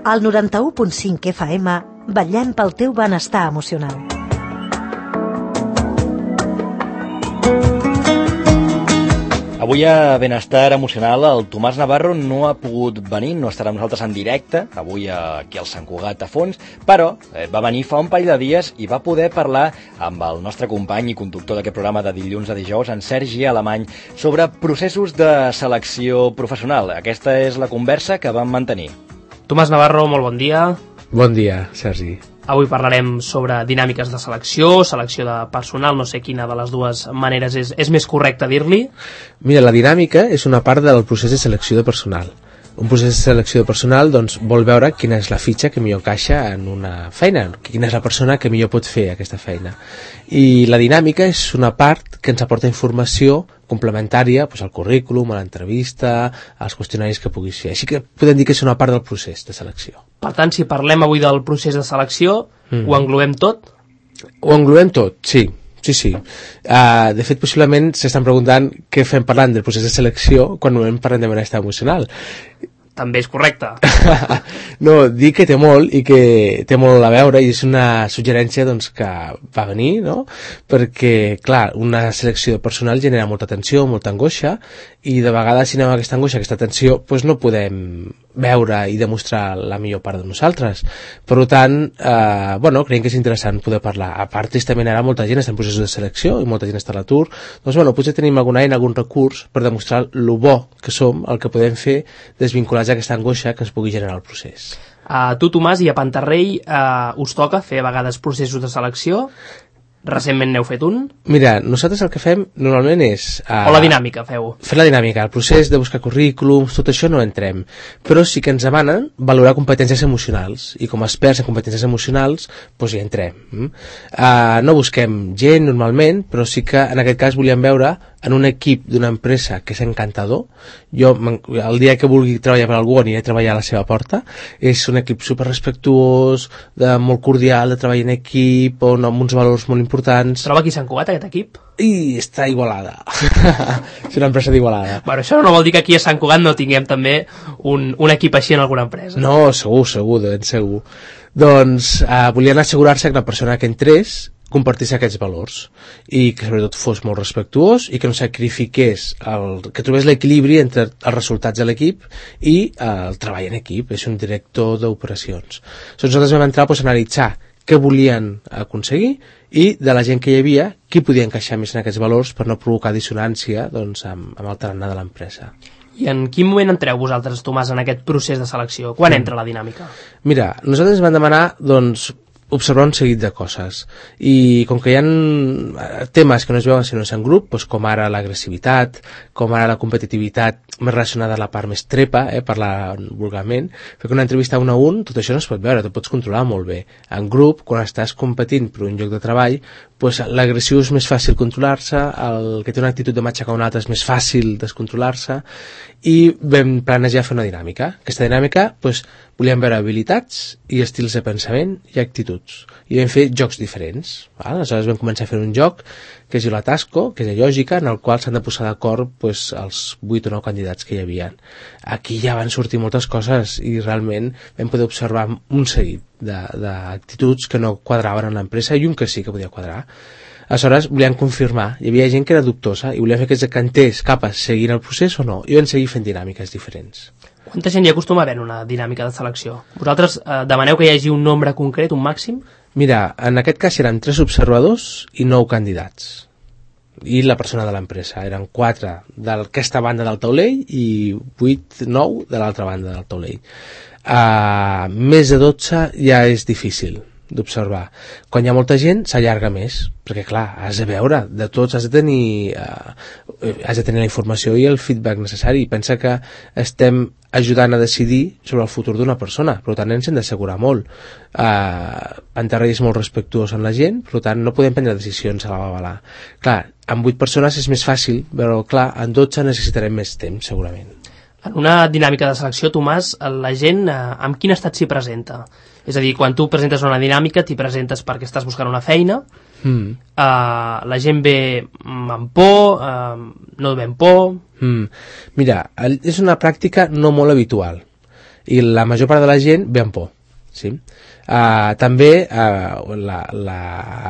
Al 91.5 FM, vetllem pel teu benestar emocional. Avui a Benestar Emocional el Tomàs Navarro no ha pogut venir, no estarà amb nosaltres en directe, avui aquí al Sant Cugat a Fons, però va venir fa un parell de dies i va poder parlar amb el nostre company i conductor d'aquest programa de dilluns a dijous, en Sergi Alemany, sobre processos de selecció professional. Aquesta és la conversa que vam mantenir. Tomàs Navarro, molt bon dia. Bon dia, Sergi. Avui parlarem sobre dinàmiques de selecció de personal, no sé quina de les dues maneres és més correcte dir-li. Mira, la dinàmica és una part del procés de selecció de personal. Un procés de selecció de personal doncs, vol veure quina és la fitxa que millor encaixa en una feina, quina és la persona que millor pot fer aquesta feina. I la dinàmica és una part que ens aporta informació complementària doncs, al currículum, a l'entrevista, als qüestionaris que puguis fer. Així que podem dir que és una part del procés de selecció. Per tant, si parlem avui del procés de selecció, ho englobem tot? Ho englobem tot, sí. Sí. De fet, possiblement s'estan preguntant què fem parlant del procés de selecció quan normalment parlem de benestar emocional. També és correcte. No, dic que té molt i que té molt a veure i és una suggerència doncs, que va venir, no? Perquè, clar, una selecció de personal genera molta tensió, molta angoixa i de vegades si anem a aquesta angoixa, aquesta tensió, doncs no podem veure i demostrar la millor part de nosaltres. Per tant, creiem que és interessant poder parlar. A part, també ara molta gent està en processos de selecció i molta gent està a l'atur. Doncs, potser tenim alguna eina, algun recurs per demostrar lo bo que som, el que podem fer desvinculats a aquesta angoixa que ens pugui generar el procés. A tu, Tomàs, i a Pantarrell us toca fer a vegades processos de selecció? Recentment n'heu fet un? Mira, nosaltres el que fem normalment és... O la dinàmica feu? Fer la dinàmica, el procés de buscar currículums, tot això no entrem. Però sí que ens demanen valorar competències emocionals. I com a experts en competències emocionals, doncs hi entrem. No busquem gent normalment, però sí que en aquest cas volíem veure en un equip d'una empresa que és encantador. Jo, el dia que vulgui treballar per algú, aniré a treballar a la seva porta. És un equip superrespectuós, molt cordial, de treballar en equip, amb uns valors molt importants. Troba aquí a Sant Cugat, aquest equip? I està a Igualada. És una empresa d'Igualada. Bueno, això no vol dir que aquí a Sant Cugat no tinguem també un equip així en alguna empresa. No, segur, de ben segur. Doncs volien assegurar-se que la persona que entrés compartís aquests valors i que sobretot fos molt respectuós i que no sacrifiqués, que trobés l'equilibri entre els resultats de l'equip i el treball en equip. És un director d'operacions. Nosaltres vam entrar a analitzar què volien aconseguir i de la gent que hi havia, qui podia encaixar més en aquests valors per no provocar dissonància doncs, amb el tarannà de l'empresa. I en quin moment entreu vosaltres, Tomàs, en aquest procés de selecció? Quan entra la dinàmica? Mira, nosaltres vam demanar observar un seguit de coses i com que hi ha temes que no es veuen si no és en grup, doncs com ara l'agressivitat, com ara la competitivitat més relacionada a la part més trepa, parlar vulgarment, perquè una entrevista un a un tot això no es pot veure, te pots controlar molt bé. En grup, quan estàs competint per un lloc de treball, doncs l'agressiu és més fàcil controlar-se, el que té una actitud de matxacar un altre és més fàcil descontrolar-se, i vam planejar fer una dinàmica. Aquesta dinàmica doncs, volíem veure habilitats i estils de pensament i actituds. I vam fer jocs diferents. Aleshores vam començar a fer un joc que es diu la Tasco, que és de lògica, en el qual s'han de posar d'acord doncs, els 8 o 9 candidats que hi havia. Aquí ja van sortir moltes coses i realment vam poder observar un seguit d'actituds que no quadraven en l'empresa i un que sí que podia quadrar. Aleshores volíem confirmar, hi havia gent que era dubtosa i volíem fer que es decantés cap a seguir el procés o no, i vam seguir fent dinàmiques diferents. Quanta gent hi acostuma a haver en una dinàmica de selecció? Vosaltres demaneu que hi hagi un nombre concret, un màxim? Mira, en aquest cas eren 3 observadors i 9 candidats. I la persona de l'empresa. Eren 4 d'aquesta banda del taulell i 8-9 de l'altra banda del taulell. Més de 12 ja és difícil d'observar. Quan hi ha molta gent s'allarga més, perquè clar, has de veure de tots, has de tenir la informació i el feedback necessari. Pensa que estem ajudant a decidir sobre el futur d'una persona, per tant ens hem d'assegurar molt. Pantarrell és molt respectuós amb la gent, per tant no podem prendre decisions a la babalà. Clar, amb 8 persones és més fàcil, però clar, en 12 necessitarem més temps segurament. En una dinàmica de selecció, Tomàs, la gent amb quin estat s'hi presenta? És a dir, quan tu presentes una dinàmica, t'hi presentes perquè estàs buscant una feina, la gent ve amb por, no ve amb por... Mira, és una pràctica no molt habitual i la major part de la gent ve amb por. Sí? També la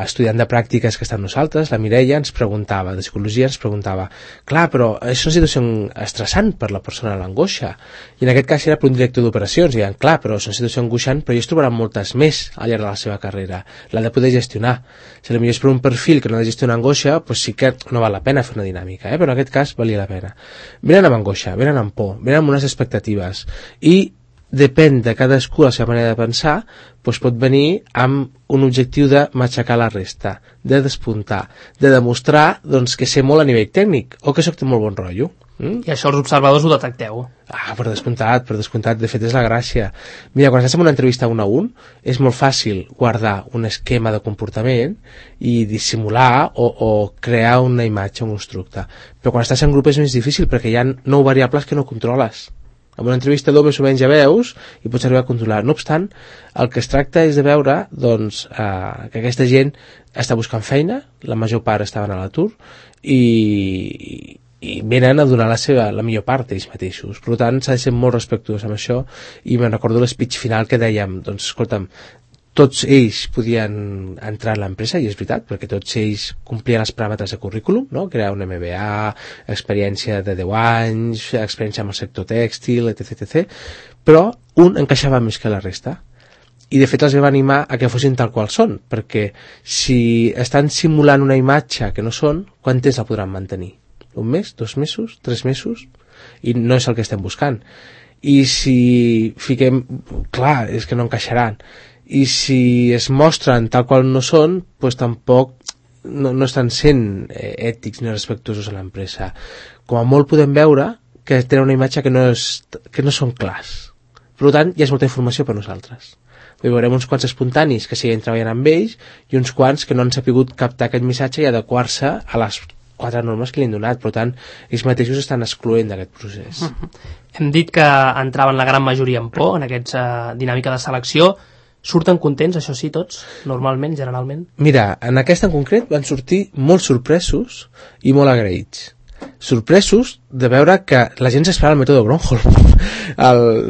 estudiant de pràctiques que està amb nosaltres, la Mireia, ens preguntava, de psicologia, ens preguntava, clar, però és una situació estressant per la persona, l'angoixa, i en aquest cas era per un director d'operacions, i deien, clar, però és una situació angoixant, però ells trobaran moltes més al llarg de la seva carrera, l'ha de poder gestionar. Si potser és per un perfil que no ha de gestionar angoixa, doncs sí que no val la pena fer una dinàmica, però en aquest cas valia la pena. Venen amb angoixa, venen amb por, venen amb unes expectatives, i depèn de cadascú la seva manera de pensar, doncs pot venir amb un objectiu de matxacar la resta, de despuntar, de demostrar doncs, que sé molt a nivell tècnic o que soc de molt bon rotllo. I això els observadors ho detecteu? Per descomptat, de fet és la gràcia. Mira, quan estàs en una entrevista 1 a 1 és molt fàcil guardar un esquema de comportament i dissimular o crear una imatge, un constructe, però quan estàs en grup és més difícil perquè hi ha 9 variables que no controles. En una entrevista més o menys ja veus i pots arribar a controlar. No obstant, el que es tracta és de veure doncs, que aquesta gent està buscant feina, la major part estaven a l'atur i venen a donar la millor part d'ells mateixos. Per tant, s'ha de ser molt respectuós amb això i me'n recordo l'speech final que dèiem, doncs escolta'm, tots ells podien entrar a l'empresa, i és veritat, perquè tots ells complien els paràmetres de currículum, no? Crear un MBA, experiència de 10 anys, experiència amb el sector tèxtil, etc. Però un encaixava més que la resta. I de fet els vam animar a que fossin tal qual són, perquè si estan simulant una imatge que no són, quant temps la podran mantenir? 1 mes, 2 mesos, 3 mesos? I no és el que estem buscant. I si fiquem... Clar, és que no encaixaran. I si es mostren tal qual no són, doncs tampoc no estan sent ètics ni respectuosos a l'empresa. Com a molt podem veure que tenen una imatge que no són clars. Per tant, ja és molta informació per nosaltres. Veurem uns quants espontanis que siguen treballant amb ells i uns quants que no han sabut captar aquest missatge i adequar-se a les 4 normes que li han donat. Per tant, ells mateixos estan excloent d'aquest procés. Hem dit que entraven la gran majoria en por en aquesta dinàmica de selecció. Surten contents, això sí, tots, normalment, generalment? Mira, en aquesta en concret van sortir molt sorpresos i molt agraïts. Sorpresos de veure que la gent s'esperava el mètode Gronholm.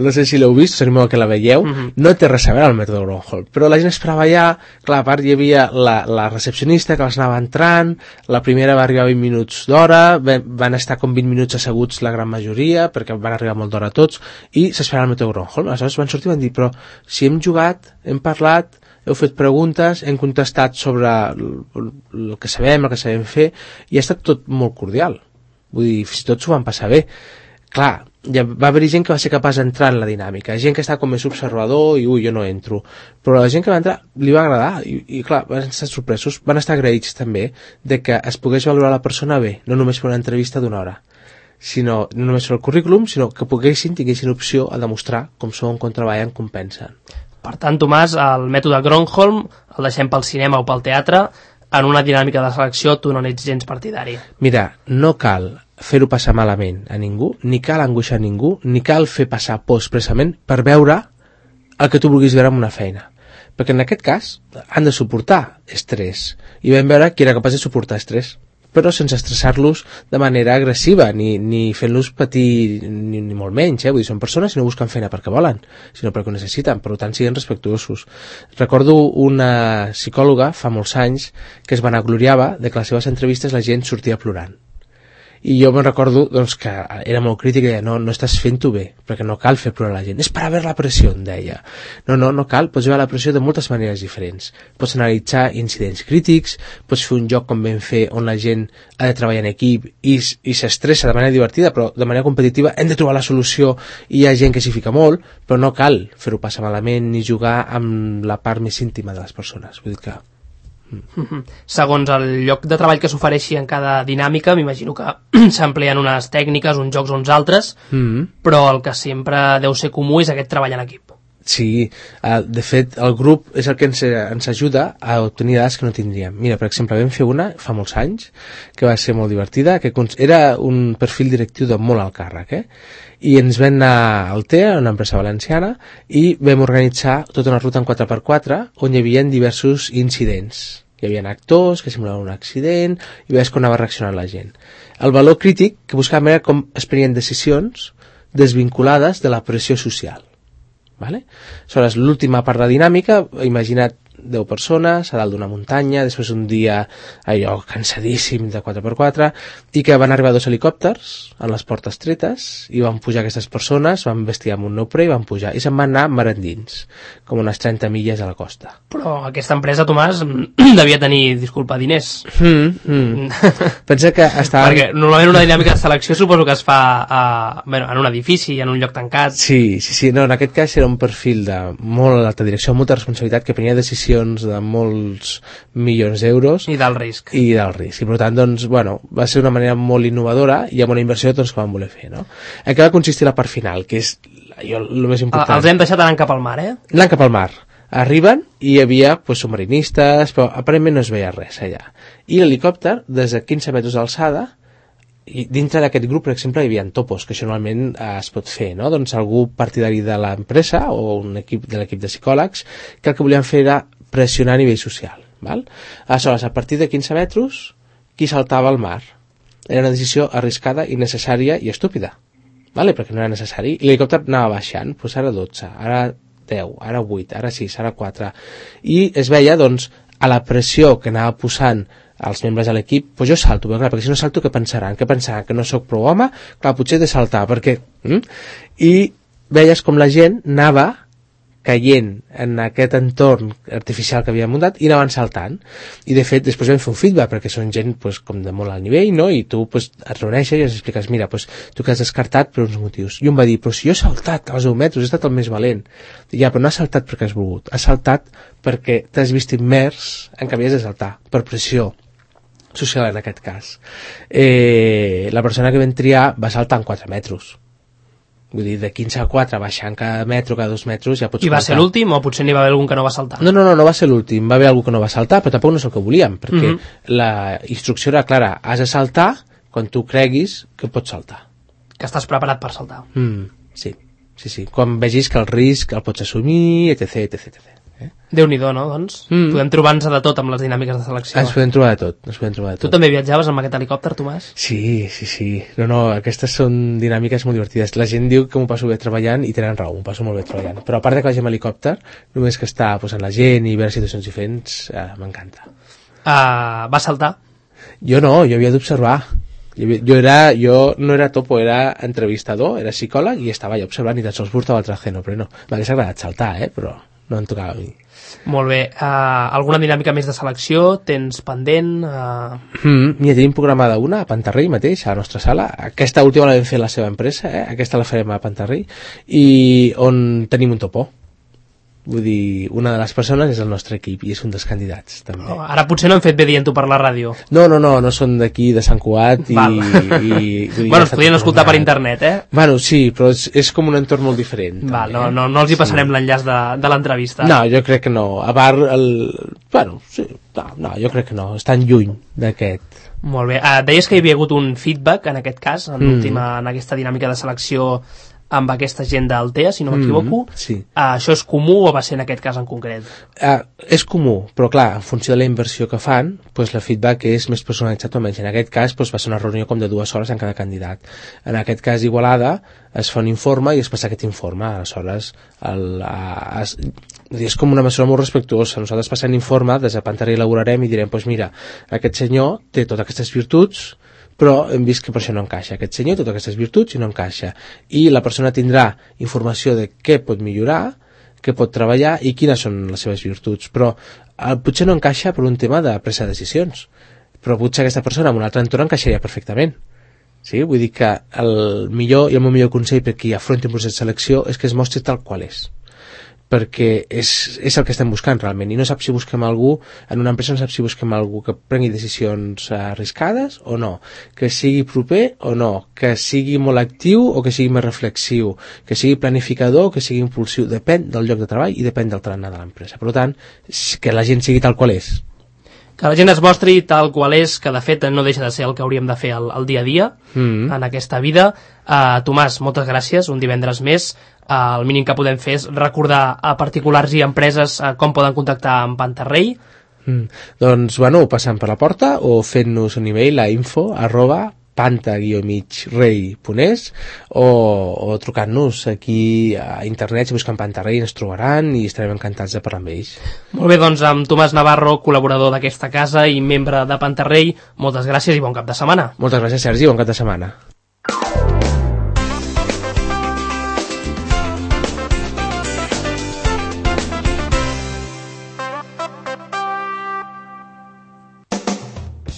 No sé si l'heu vist, us animo que la veieu, no té res a veure el mètode Gronholm, però la gent esperava ja, clar, a part hi havia la recepcionista que els anava entrant, la primera va arribar 20 minuts d'hora, van estar com 20 minuts asseguts la gran majoria, perquè van arribar molt d'hora tots, i s'esperava el mètode Gronholm. Aleshores van sortir i van dir, però si hem jugat, hem parlat, heu fet preguntes, hem contestat sobre el que sabem fer, i ha estat tot molt cordial. Vull dir, fins i tot s'ho van passar bé. Clar, ja va haver gent que va ser capaç d'entrar en la dinàmica, gent que està com més observador i jo no entro, però la gent que va entrar li va agradar i clar, van estar sorpresos, van estar agraïts també de que es pogués valorar la persona bé, no només per una entrevista d'1 hora, sinó no només per el currículum, sinó que tinguessin opció a demostrar com són, com treballen, com pensen. Per tant, Tomàs, el mètode Gronholm el deixem pel cinema o pel teatre. En una dinàmica de selecció tu no n'ets gens partidari. Mira, no cal fer-ho passar malament a ningú, ni cal angoixar a ningú, ni cal fer passar por expressament per veure el que tu vulguis veure en una feina. Perquè en aquest cas han de suportar estrès, i vam veure qui era capaç de suportar estrès, però sense estressar-los de manera agressiva, ni fent-los patir ni molt menys, vull dir, són persones i no busquen feina perquè volen, sinó perquè ho necessiten, per tant siguin respectuosos. Recordo una psicòloga fa molts anys que es vanagloriava de que a les seves entrevistes la gent sortia plorant. I jo me'n recordo doncs, que era molt crític i deia, no estàs fent-ho bé, perquè no cal fer plorar la gent, és per haver la pressió, em deia. No cal, pots veure la pressió de moltes maneres diferents. Pots analitzar incidents crítics, pots fer un joc com vam fer on la gent ha de treballar en equip i s'estressa de manera divertida, però de manera competitiva hem de trobar la solució i hi ha gent que s'hi fica molt, però no cal fer-ho passar malament ni jugar amb la part més íntima de les persones. Vull dir que Segons el lloc de treball que s'ofereixi en cada dinàmica, m'imagino que s'empleen unes tècniques, uns jocs o uns altres, però el que sempre deu ser comú és aquest treball en equip. Sí, de fet el grup és el que ens ajuda a obtenir dades que no tindríem. Mira, per exemple, vam fer una fa molts anys que va ser molt divertida, que era un perfil directiu de molt alt càrrec, i ens vam anar al TEA, una empresa valenciana, i vam organitzar tota una ruta en 4x4 on hi havia diversos incidents. Hi havia actors que simulaven un accident i veies com anava reaccionant la gent. El valor crític que buscàvem era com es prenien decisions desvinculades de la pressió social. Vale? Aleshores, l'última part de la dinàmica, imagina't 10 persones a dalt d'una muntanya, després un dia allò cansadíssim de 4x4, i que van arribar 2 helicòpters amb les portes tretes i van pujar aquestes persones, van vestir amb un neoprè i van pujar, i se'n van anar mar endins, com unes 30 milles a la costa. Però aquesta empresa, Tomàs, devia tenir, disculpa, diners. Pensa que estava... Perquè normalment una dinàmica de selecció suposo que es fa en un edifici, en un lloc tancat. Sí, no, en aquest cas era un perfil de molt alta direcció, molta responsabilitat, que prenia decisions de molts milions d'euros I del risc. I per tant, doncs, va ser una manera molt innovadora i amb una inversió doncs, que van voler fer, no? En què va consistir la part final, que és el més important. Els hem deixat anant cap al mar, Anant cap al mar. Arriben i hi havia submarinistes, però aparentment no es veia res allà. I l'helicòpter, des de 15 metres d'alçada, i dintre d'aquest grup, per exemple, hi havia topos, que això normalment es pot fer, no? Doncs algú partidari de l'empresa o un equip de l'equip de psicòlegs que el que volien fer era pressionar a nivell social. Val? Aleshores, a partir de 15 metres, qui saltava al mar? Era una decisió arriscada, innecessària i estúpida, vale? Perquè no era necessari. I l'helicòpter anava baixant, doncs ara 12, ara 10, ara 8, ara 6, ara 4. I es veia, doncs, a la pressió que anava posant els membres de l'equip, doncs jo salto, clar, perquè si no salto què pensaran? Que pensaran? Que no sóc prou home? Clar, potser he de saltar, perquè... I veies com la gent anava caient en aquest entorn artificial que havia muntat i anaven saltant. I de fet després vam fer un feedback, perquè són gent pues, com de molt alt nivell, no? I tu pues, et reuneixes i els expliques, mira, pues, tu que has descartat per uns motius. I un va dir, però si jo he saltat als 10 metres, he estat el més valent. I ja, però no has saltat perquè has volgut, has saltat perquè t'has vist immers en que havies de saltar, per pressió social en aquest cas. La persona que vam triar va saltar en 4 metres. Vull dir, de 15 a 4, baixant cada metro, cada 2 metres, ja pots... I va ser l'últim o potser n'hi va haver algun que no va saltar? No va ser l'últim, va haver algú que no va saltar, però tampoc no és el que volíem, perquè la instrucció era clara, has de saltar quan tu creguis que pots saltar. Que estàs preparat per saltar. Sí. Quan vegis que el risc el pots assumir, etc. Déu-n'hi-do, no? Doncs podem trobar-nos de tot amb les dinàmiques de selecció. Ens podem trobar de tot. Tu també viatjaves amb aquest helicòpter, Tomàs? Sí. No, aquestes són dinàmiques molt divertides. La gent diu que m'ho passo bé treballant i tenen raó, m'ho passo molt bé treballant. Però a part de que vagi amb helicòpter, només que està posant la gent i veure situacions diferents, m'encanta. Va saltar? Jo no, jo havia d'observar. Jo no era topo, era entrevistador, era psicòleg i estava allà observant i tan sols portava el traje, no, però no. M'hagués agradat saltar, però no em tocava a mi. Molt bé. Alguna dinàmica més de selecció? Tens pendent? Mira, tenim programada una a Pantarrell mateix, a la nostra sala. Aquesta última la vam fer la seva empresa, aquesta la farem a Pantarrell, i on tenim un topo. Vull dir, una de les persones és el nostre equip i és un dels candidats, també. Ara potser no hem fet bé dient-ho per la ràdio. No són d'aquí, de Sant Cugat, bueno, es podien escoltar per internet, Bueno, sí, però és com un entorn molt diferent. Val, no els hi passarem l'enllaç de l'entrevista. No, jo crec que no. A part, jo crec que no. Estan lluny d'aquest. Molt bé. Deies que hi havia hagut un feedback, en aquest cas, en aquesta dinàmica de selecció amb aquesta gent d'Altea, si no m'equivoco. Sí. Això és comú o va ser en aquest cas en concret? És comú, però clar, en funció de la inversió que fan, doncs el feedback és més personalitzat o menys. En aquest cas va ser una reunió com de 2 hores en cada candidat. En aquest cas d'Igualada es fa un informe i es passa aquest informe. Aleshores, és com una mesura molt respectuosa. Nosaltres passem l'informe, des de Pantarrell elaborarem i direm, doncs mira, aquest senyor té totes aquestes virtuts, però hem vist que per això no encaixa. Aquest senyor té totes aquestes virtuts i no encaixa. I la persona tindrà informació de què pot millorar, què pot treballar i quines són les seves virtuts. Però potser no encaixa per un tema de presa de decisions. Però potser aquesta persona en un altre entorn encaixaria perfectament. Sí? Vull dir que el millor i el meu millor consell per qui afronti un procés de selecció és que es mostri tal qual és. Perquè és el que estem buscant realment, i no sap si busquem algú, en una empresa no sap si busquem algú que prengui decisions arriscades o no, que sigui proper o no, que sigui molt actiu o que sigui més reflexiu, que sigui planificador o que sigui impulsiu, depèn del lloc de treball i depèn del tarannà de l'empresa. Per tant, que la gent sigui tal qual és. Que la gent es mostri tal qual és, que de fet no deixa de ser el que hauríem de fer el dia a dia en aquesta vida. Tomàs, moltes gràcies, un divendres més. El mínim que podem fer és recordar a particulars i empreses com poden contactar amb Pantarrell. Doncs, passant per la porta o fent-nos un e-mail a info@pantarrell.cat. panta-rei.es o trucant-nos aquí a internet, si busquen Panta Rei ens trobaran i estarem encantats de parlar amb ells. Molt bé, doncs amb Tomàs Navarro, col·laborador d'aquesta casa i membre de Panta Rei, moltes gràcies i bon cap de setmana. Moltes gràcies, Sergi, bon cap de setmana.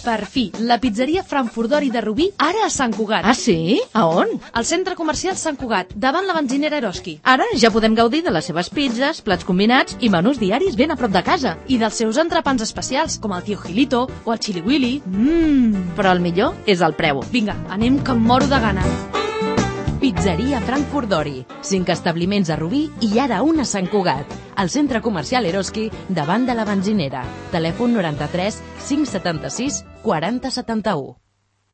Per fi, la pizzeria Frankfurt d'Ori de Rubí, ara a Sant Cugat. Ah, sí? A on? Al centre comercial Sant Cugat, davant la benzinera Eroski. Ara ja podem gaudir de les seves pizzas, plats combinats i menús diaris ben a prop de casa. I dels seus entrepans especials, com el Tio Gilito o el Chili Willy. Però el millor és el preu. Vinga, anem que em moro de gana. Pizzeria Frankfurt d'Ori. 5 establiments a Rubí i ara un a Sant Cugat. Al centre comercial Eroski, davant de la benzinera. Telèfon 93 576 40 71.